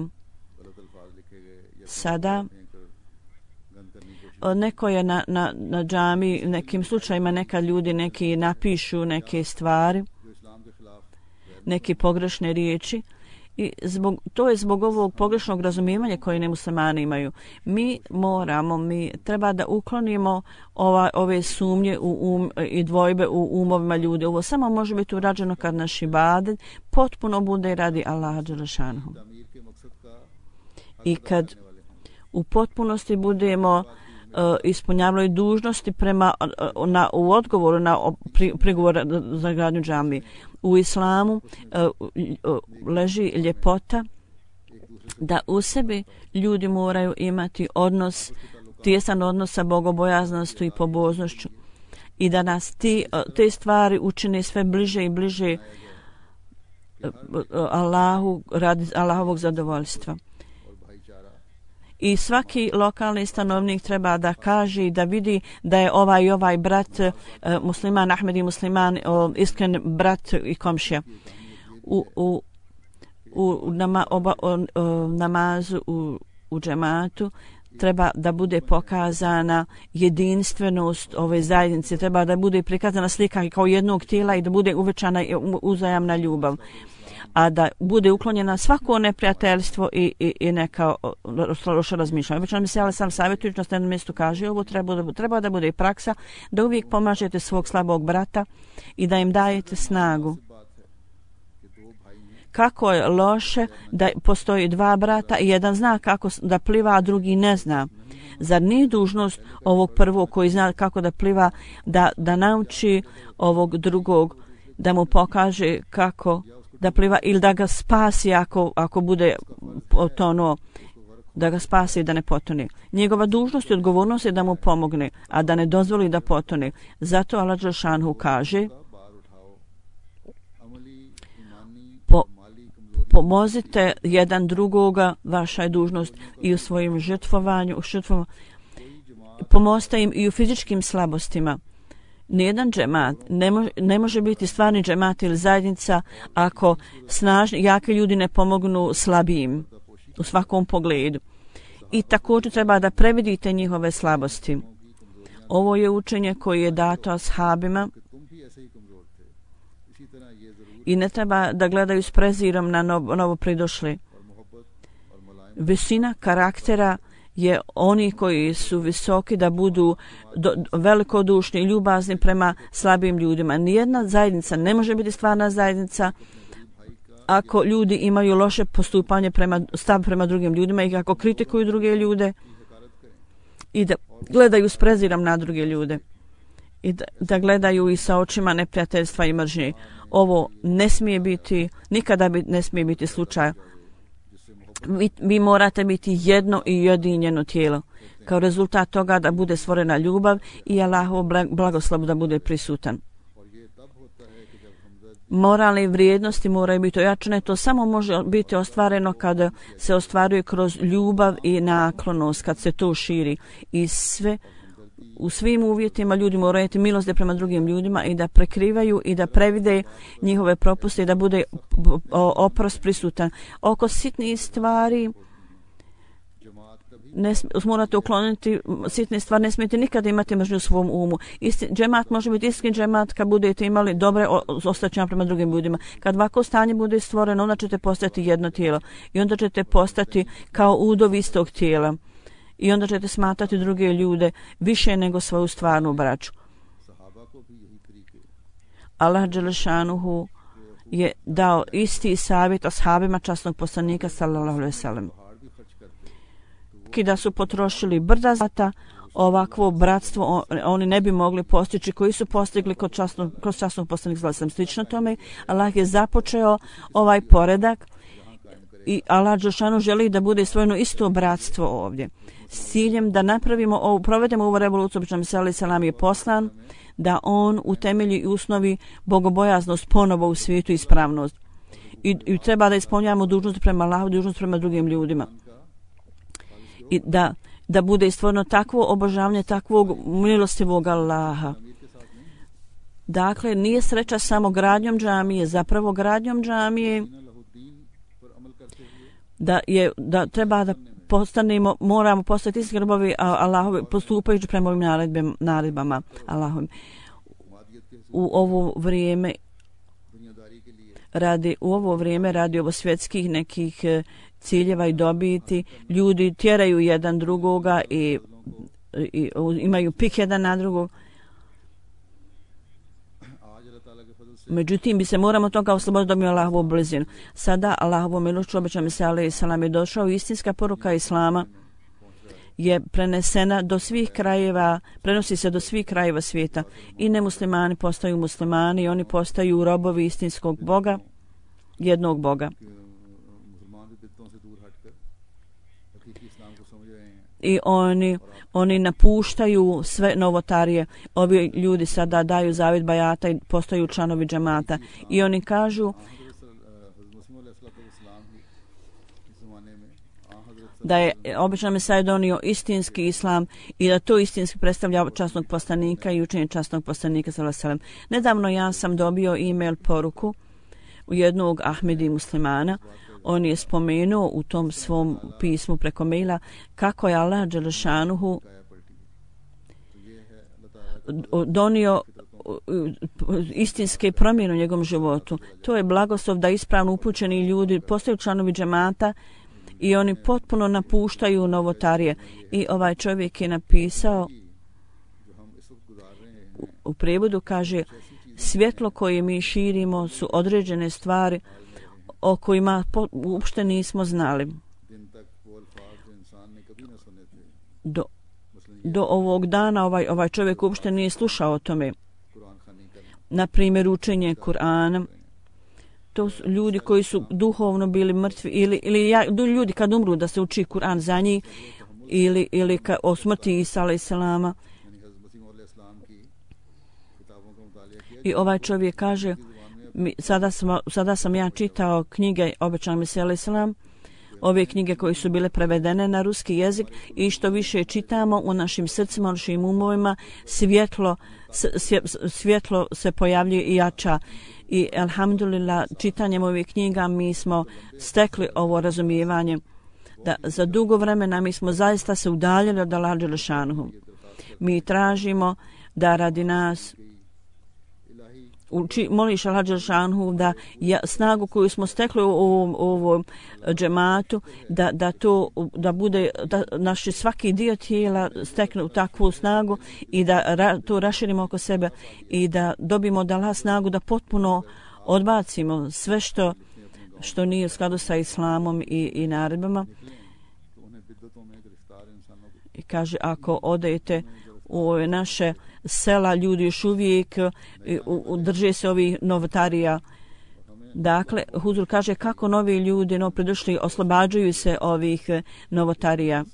Sada neko je na džami, nekim slučajima neka ljudi neki napišu neke stvari, neke pogrešne riječi i to je zbog ovog pogrešnog razumijevanja koje nemuslimani imaju. Mi treba da uklonimo ove sumnje i dvojbe u umovima ljudi. Ovo samo može biti urađeno kad naš ibadet potpuno bude radi Allaha dželešanuhu. I kad u potpunosti budemo ispunjavali dužnosti u odgovoru na prigovor za gradnju džamije. U islamu leži ljepota da u sebi ljudi moraju imati tjesan odnos sa bogobojaznošću i pobožnošću i da nas te stvari učine sve bliže i bliže Allahu radi Allahovog zadovoljstva. I svaki lokalni stanovnik treba da kaže i da vidi da je ovaj brat musliman, Ahmedi musliman, iskren brat i komšija. U namazu u džematu treba da bude pokazana jedinstvenost ove zajednice, treba da bude prikazana slika kao jednog tijela i da bude uvećana uzajamna ljubav, a da bude uklonjena svako neprijateljstvo i neka loša razmišljanja. Obično mi se ali sam savjetujući na jednom mjestu kaže ovo treba da bude i praksa, da uvijek pomažete svog slabog brata i da im dajete snagu. Kako je loše da postoji dva brata i jedan zna kako da pliva, a drugi ne zna. Zar nije dužnost ovog prvog koji zna kako da pliva da nauči ovog drugog, da mu pokaže kako da pliva ili da ga spasi ako bude potonuo, da ga spasi i da ne potone. Njegova dužnost i odgovornost je da mu pomogne, a da ne dozvoli da potone. Zato Allah dželešanu kaže pomozite jedan drugoga, vaša je dužnost i u svojim žrtvovanju, pomozite im i u fizičkim slabostima. Nijedan džemat ne može biti stvarni džemat ili zajednica ako snažni, jaki ljudi ne pomognu slabijim u svakom pogledu. I također treba da previdite njihove slabosti. Ovo je učenje koje je dato ashabima i ne treba da gledaju s prezirom na novo pridošli. Visina karaktera je oni koji su visoki da budu velikodušni i ljubazni prema slabim ljudima. Nijedna zajednica ne može biti stvarna zajednica ako ljudi imaju loše postupanje stav prema drugim ljudima i ako kritikuju druge ljude i da gledaju s prezirom na druge ljude i da gledaju i sa očima neprijateljstva i mržnje. Ovo ne smije biti, nikada ne smije biti slučaj. Vi morate biti jedno i jedinjeno tijelo. Kao rezultat toga da bude stvorena ljubav i Allahov blagoslov da bude prisutan. Moralne vrijednosti moraju biti ojačane. To samo može biti ostvareno kada se ostvaruje kroz ljubav i naklonost, kad se to širi. I u svim uvjetima ljudi moraju imati milost prema drugim ljudima i da prekrivaju i da previde njihove propuste i da bude oprost prisutan. Oko sitnih stvari morate ukloniti sitne stvari, ne smijete nikada imati mržnju u svom umu. Džemat može biti iskren džemat kad budete imali dobre ostaćanja prema drugim ljudima. Kad ovako stanje bude stvoreno, onda ćete postati jedno tijelo i onda ćete postati kao udov istog tijela. I onda ćete smatrati druge ljude više nego svoju stvarnu braću. Allah dželešanuhu je dao isti savjet ashabima časnog poslanika sallallahu alejhi ve sellem. Kada su potrošili brda zlata, ovakvo bratstvo oni ne bi mogli postići koji su postigli kroz časnog poslanika sallallahu alejhi ve sellem. Slično tome, Allah je započeo ovaj poredak i Allah dželešanuhu želi da bude stvoreno isto bratstvo ovdje. S ciljem da provedemo ovu revoluciju, obično Mesija selam je poslan, da on u temelju i usnovi bogobojaznost ponovo u svijetu i ispravnost. I treba da ispunjavamo dužnost prema Allahu, dužnost prema drugim ljudima. I da bude stvoreno takvo obožavanje, takvog milostivog Allaha. Dakle, nije sreća samo gradnjom džamije, zapravo gradnjom džamije da treba da moramo postati iskreni robovi Allahovi postupajući prema ovim naredbama Allahovim. U ovo vrijeme radi ovo svjetskih nekih ciljeva i dobiti, ljudi tjeraju jedan drugoga i imaju pik jedan na drugog. Međutim, bi se moramo toga osloboditi da mi Allahovu blizinu. Sada Allahovu milošću obično Mesija alejhi selam je došao. Istinska poruka Islama je prenesena do svih krajeva, prenosi se do svih krajeva svijeta. I nemuslimani postaju muslimani i oni postaju robovi istinskog Boga, jednog Boga. I oni napuštaju sve novotarije. Ovi ljudi sada daju zavjet bajata i postaju članovi džemata. I oni kažu da je običan Mesija donio istinski islam i da to istinski predstavlja časnog poslanika i učenje časnog poslanika sallallahu alejhi ve sellem. Nedavno ja sam dobio e-mail poruku u jednog Ahmedi muslimana. On je spomenuo u tom svom pismu preko maila kako je Allah dželešanuhu donio istinske promjene u njegovom životu. To je blagoslov da ispravno upućeni ljudi postaju članovi džemata i oni potpuno napuštaju novotarije. I ovaj čovjek je napisao u prevodu, kaže, svjetlo koje mi širimo su određene stvari o kojima uopšte nismo znali. Do ovog dana ovaj čovjek uopšte nije slušao o tome. Na primjer, učenje Kur'ana. To su ljudi koji su duhovno bili mrtvi ili ljudi kad umru da se uči Kur'an za njih ili o smrti Isa alejselama. I ovaj čovjek kaže, sada sam ja čitao knjige obećanog Mesija alejselam, ove knjige koje su bile prevedene na ruski jezik i što više čitamo u našim srcima, u našim umovima, svjetlo se pojavljuje i jača. I alhamdulillah, čitanjem ovih knjiga mi smo stekli ovo razumijevanje da za dugo vremena mi smo zaista se udaljili od Allaha dželešanuhu. Mi tražimo da radi nas moliš Allaha dželešanuhu da snagu koju smo stekli u ovom džematu da bude da naši svaki dio tijela stekne u takvu snagu i da to raširimo oko sebe i da dobimo od Allaha snagu da potpuno odbacimo sve što nije u skladu sa islamom i naredbama. I kaže, ako odete u naše sela, ljudi još uvijek drže se ovih novotarija. Dakle, Huzur kaže kako novi ljudi pridošli oslobađaju se ovih novotarija.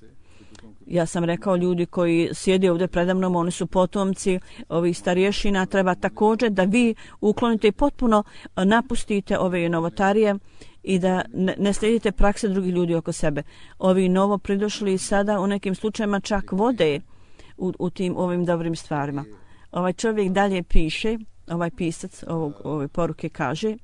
Ja sam rekao, ljudi koji sjede ovdje predamnom, oni su potomci ovih starješina. Treba također da vi uklonite i potpuno napustite ove novotarije i da ne slijedite prakse drugih ljudi oko sebe. Ovi novo pridošli sada u nekim slučajima čak vode u ovim dobrim stvarima. Ovaj čovjek dalje piše, ovaj pisac ove poruke kaže,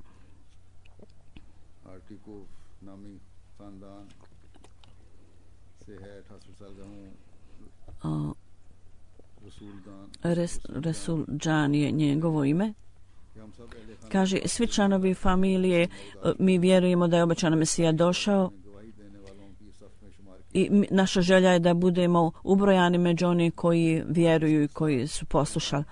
Resul Džan je njegovo ime. Kaže, svi članovi familije, mi vjerujemo da je obećani Mesija došao i naša želja je da budemo ubrojani među oni koji vjeruju i koji su poslušali.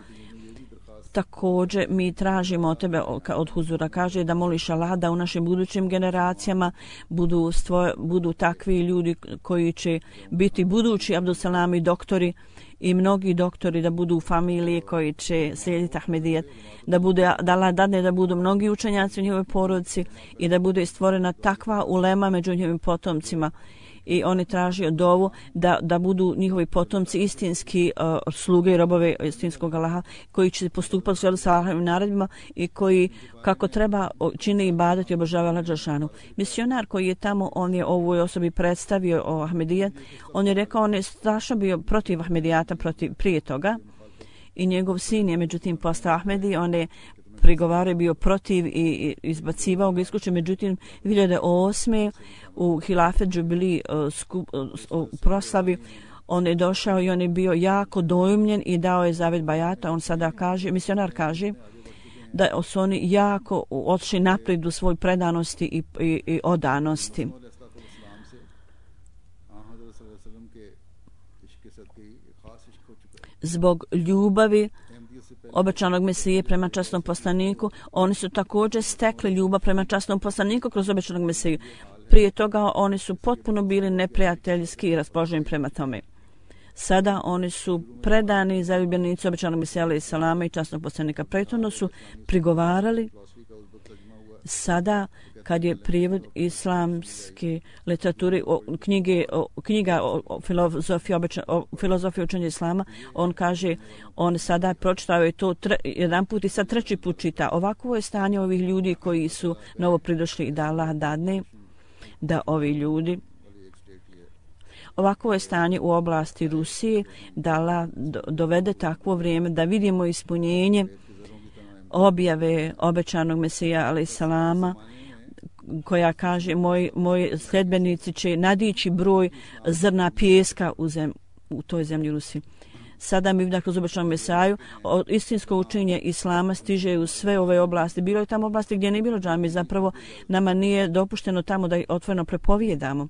Također mi tražimo od tebe, od Huzura kaže, da moliš Allah da u našim budućim generacijama budu takvi ljudi koji će biti budući Abduselami doktori i mnogi doktori, da budu u familiji koji će slijediti Ahmedijet, da Allah dadne da budu mnogi učenjaci u njihovoj porodici i da bude stvorena takva ulema među njihovim potomcima. I oni traže dovu da budu njihovi potomci istinski sluge i robove istinskog Allaha koji će postupati u skladu sa Allahovim naredbama i koji kako treba čine ibadet i obožavaju Allaha dželešanu. Misionar koji je tamo, on je ovoj osobi predstavio o Ahmedijet. On je rekao, on je strašno bio protiv Ahmedijata prije toga i njegov sin je međutim postao Ahmedi. On je prigovarao, bio protiv i izbacivao ga isključio. Međutim, 2008. u Hilafet Džubili proslavi on je došao i on je bio jako dojumljen i dao je zavet bajata. On sada kaže, misionar kaže da su oni jako odšli naprijed u svoj predanosti i odanosti. Zbog ljubavi obećanog Mesije prema časnom poslaniku, oni su također stekli ljubav prema časnom poslaniku kroz obećanog Mesiju. Prije toga oni su potpuno bili neprijateljski i raspoloženi prema tome. Sada oni su predani zaljubljenici obećanog Mesija alejselama i časnog poslanika. Prethodno su prigovarali. Sada kad je prijevod islamske literature, knjiga o filozofiji učenja islama, on kaže, on sada pročitao je to jedan put i sad treći put čita. Ovako je stanje ovih ljudi koji su novo pridošli i da Allah dadne da ovi ljudi Ovako je stanje u oblasti Rusije, da Allah dovede takvo vrijeme da vidimo ispunjenje objave obećanog Mesija alejselama, koja kaže moji sledbenici će nadići broj zrna pijeska u toj zemlji Rusiji. Sada mi kroz obećanog Mesaju istinsko učenje islama stiže u sve ove oblasti. Bilo je tamo oblasti gdje nije bilo džami, zapravo nama nije dopušteno tamo da otvoreno prepovijedamo.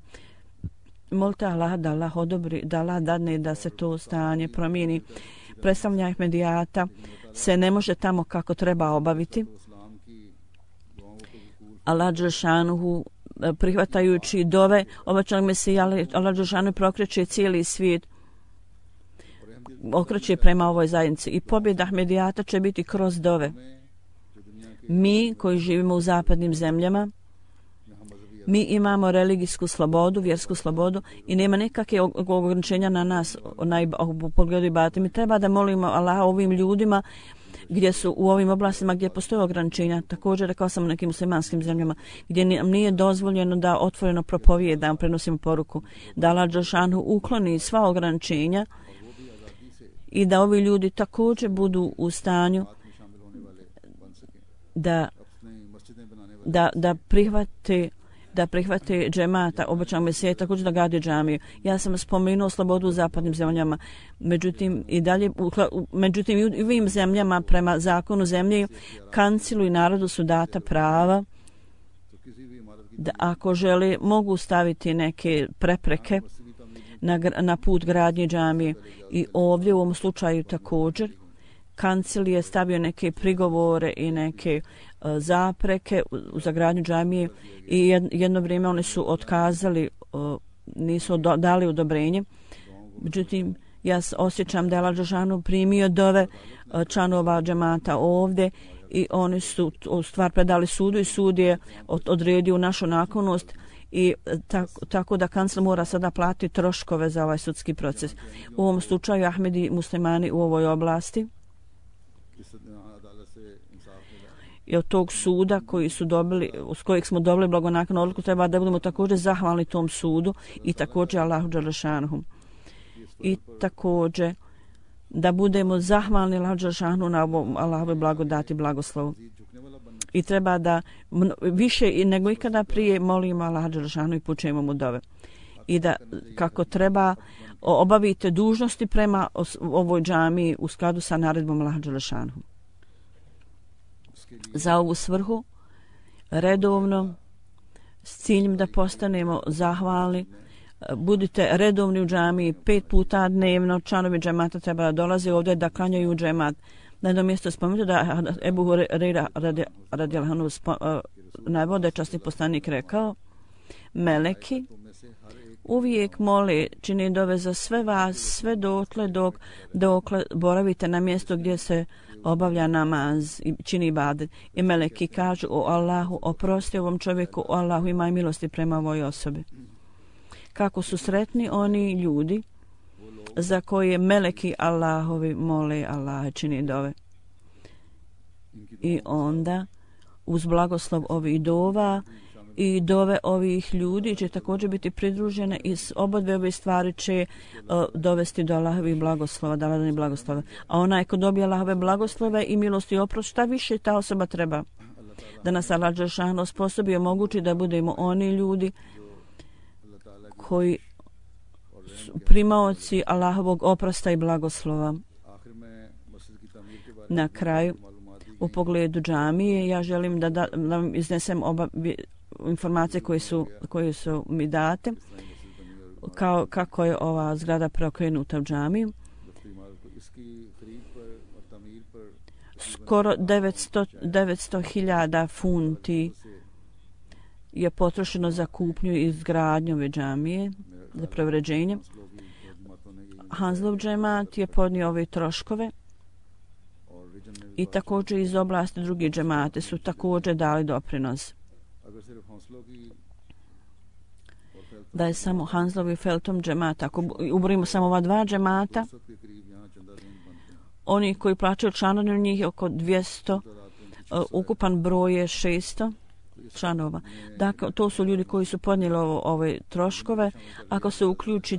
Molite Allah da Allah odobri, da Allah dadne da se to stanje promijeni. Predstavljanje Ahmedijata se ne može tamo kako treba obaviti. Allah dželšanuhu prihvatajući dove obećanog Mesija, Allah dželšanuhu prokreće cijeli svijet, okreće prema ovoj zajednici i pobjeda Ahmedijata će biti kroz dove. Mi koji živimo u zapadnim zemljama, mi imamo religijsku slobodu, vjersku slobodu i nema nekakve ograničenja na nas u pogledu ibadeta. Mi treba da molimo Allaha ovim ljudima gdje su u ovim oblastima gdje postoje ograničenja. Također rekao sam u nekim muslimanskim zemljama gdje nije dozvoljeno da otvoreno propovijedamo, prenosimo poruku, da Allah dželšanuhu ukloni sva ograničenja i da ovi ljudi također budu u stanju da prihvate džemata obećanog Mesija, također da grade džamiju. Ja sam spomenuo slobodu u zapadnim zemljama, međutim i u ovim zemljama prema zakonu zemlje kancilu i narodu su data prava da ako žele mogu staviti neke prepreke na put gradnje džamije. I ovdje u ovom slučaju također kancil je stavio neke prigovore i neke zapreke za gradnju džamije i jedno vrijeme oni su otkazali, nisu dali odobrenje. Međutim, ja osjećam da je Allah dželšanuhu primio dove članova džemata ovdje i oni su stvar predali sudu i sud je odredio našu naklonost i tako da kancel mora sada platiti troškove za ovaj sudski proces. U ovom slučaju Ahmedi muslimani u ovoj oblasti i od tog suda koji su dobili, s kojeg smo dobili blagonaklonu odluku, treba da budemo također zahvalni tom sudu i također Allahu dželešanuhu. I također da budemo zahvalni Allahu dželešanuhu na ovom Allahove blagodati, blagoslovu. I treba da više nego ikada prije molimo Allaha dželešanuhu i pučemo mu dove. I da kako treba obavite dužnosti prema ovoj džamiji u skladu sa naredbom Allaha dželešanuhu. Za ovu svrhu redovno s ciljem da postanemo zahvalni budite redovni u džamiji 5 puta dnevno. Članovi džemata treba da dolaze ovdje da klanjaju džemat. Na jednom mjestu spomenuti da Ebu Hurajra radijallahu anhu navode časni poslanik rekao, meleki uvijek mole, čini dove za sve vas, sve dokle boravite na mjestu gdje se obavlja namaz i čini ibadet. I meleki kažu, o Allahu, oprosti ovom čovjeku, o Allahu, imaj milosti prema ovoj osobi. Kako su sretni oni ljudi za koje meleki Allahovi mole Allaha, čini dove. I onda uz blagoslov ovih dova i dove ovih ljudi će također biti pridružene i s obodve ove stvari će dovesti do Allahovih blagoslova, davanja blagoslova. A onaj ko dobije Allahove blagoslove i milosti i oprost, šta više ta osoba treba? Da nas Allah dželešanu osposobi i omogući da budemo oni ljudi koji primaoci Allahovog oprosta i blagoslova. Na kraju, u pogledu džamije, ja želim da vam iznesem informacije koje su mi date, kako je ova zgrada preokrenuta u džamiju. Skoro 900.000 funti je potrošeno za kupnju i izgradnju ove džamije, za preuređenje. Hanslov džemat je podnio ove troškove i također iz oblasti drugi džemate su također dali doprinos. Da je samo Hanslov i Feltom džemata, ako uborimo samo ova dva džemata, oni koji plaćaju članarinu njih je oko 200, ukupan broj je 600. članova. Dakle, to su ljudi koji su podnijeli ove troškove. Ako se uključi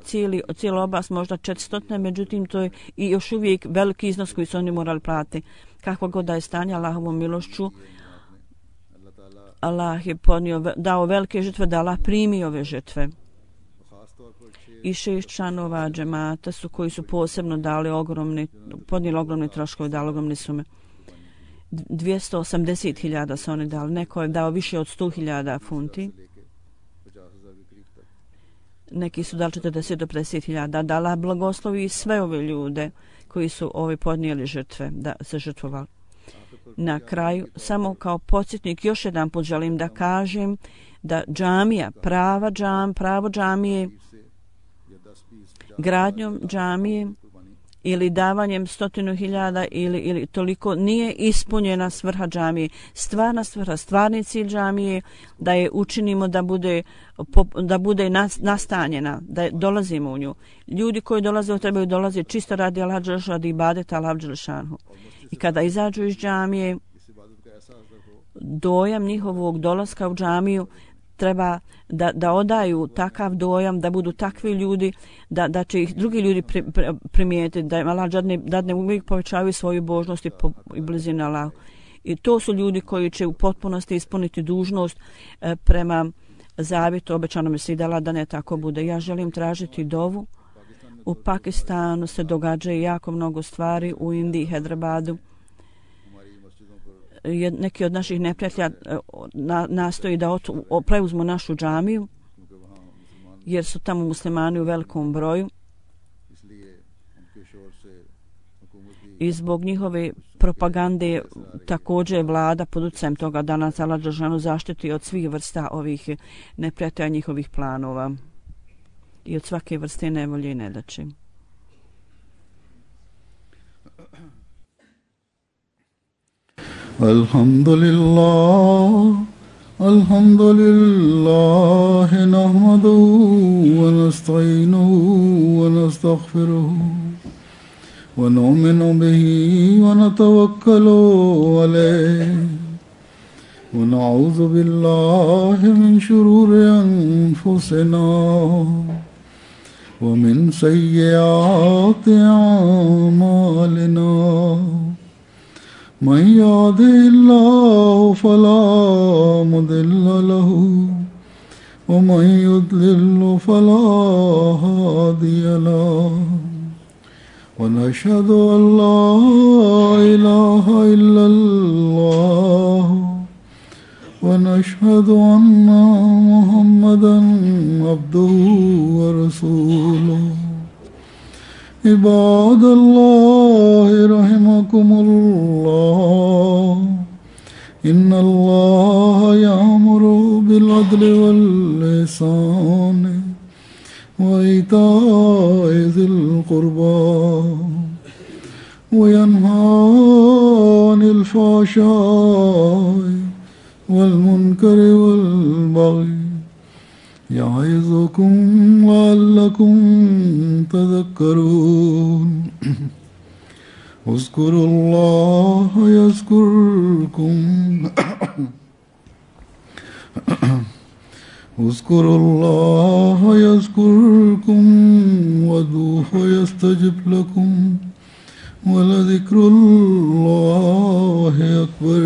cijela oblast, možda 400, međutim, to je i još uvijek veliki iznos koji su oni morali platiti. Kakva god da je stanje, Allahovom milošću, Allah je dao velike žrtve, da Allah primi ove žrtve. I 6 članova džemata su koji su posebno podnijeli ogromne troškove, dali ogromne sume. 280.000 su oni dali. Neko je dao više od 100.000 funti. Neki su dali 40 do 50.000. Da Allah blagoslovi sve ove ljude koji su podnijeli žrtve, da se žrtvovali. Na kraju, samo kao podsjetnik, još jedan put želim da kažem da džamija, pravo džamije, gradnjom džamije ili davanjem 100.000 ili toliko nije ispunjena svrha džamije. Stvarna svrha, stvarni cilj džamije da je učinimo da bude nastanjena, da dolazimo u nju. Ljudi koji dolaze trebaju dolaziti čisto radi Allah dželle, radi ibadeta Allah dželle šanhu. I kada izađu iz džamije, dojam njihovog dolaska u džamiju treba da odaju takav dojam, da budu takvi ljudi, da će ih drugi ljudi primijetiti, da Allah dadne uvijek povećavaju svoju božnost i blizinu Allahu. I to su ljudi koji će u potpunosti ispuniti dužnost prema zavjetu obećanom Sidala, da ne tako bude. Ja želim tražiti dovu. U Pakistanu se događaju jako mnogo stvari, u Indiji, Hyderabadu. Neki od naših neprijatelja nastoji da preuzmu našu džamiju, jer su tamo muslimani u velikom broju. I zbog njihove propagande također vlada pod utjecajem toga da nas Allah dželle zaštiti od svih vrsta ovih neprijatelja njihovih planova i od svake vrste nevolje i nedaće. Alhamdulillah nahmaduhu wa nasta'inuhu wa nastaghfiruhu wa nu'minu bihi wa natawakkalu alayhi wa na'udhu billahi min shururi anfusina wa min sayyiati a'malina. من يهده الله فلا مضل له ومن يضلل فلا هادي له ونشهد أن لا إله إلا الله ونشهد أن محمدا عبده ورسوله. عباد الله رحمكم الله إن الله يأمر بالعدل والإحسان وإيتاء ذي القربى وينهى عن الفحشاء والمنكر والبغي يعظكم لعلكم تذكرون. اذكروا الله يذكركم اذكروا الله يذكركم وادعوه يستجب لكم ولذكر الله أكبر.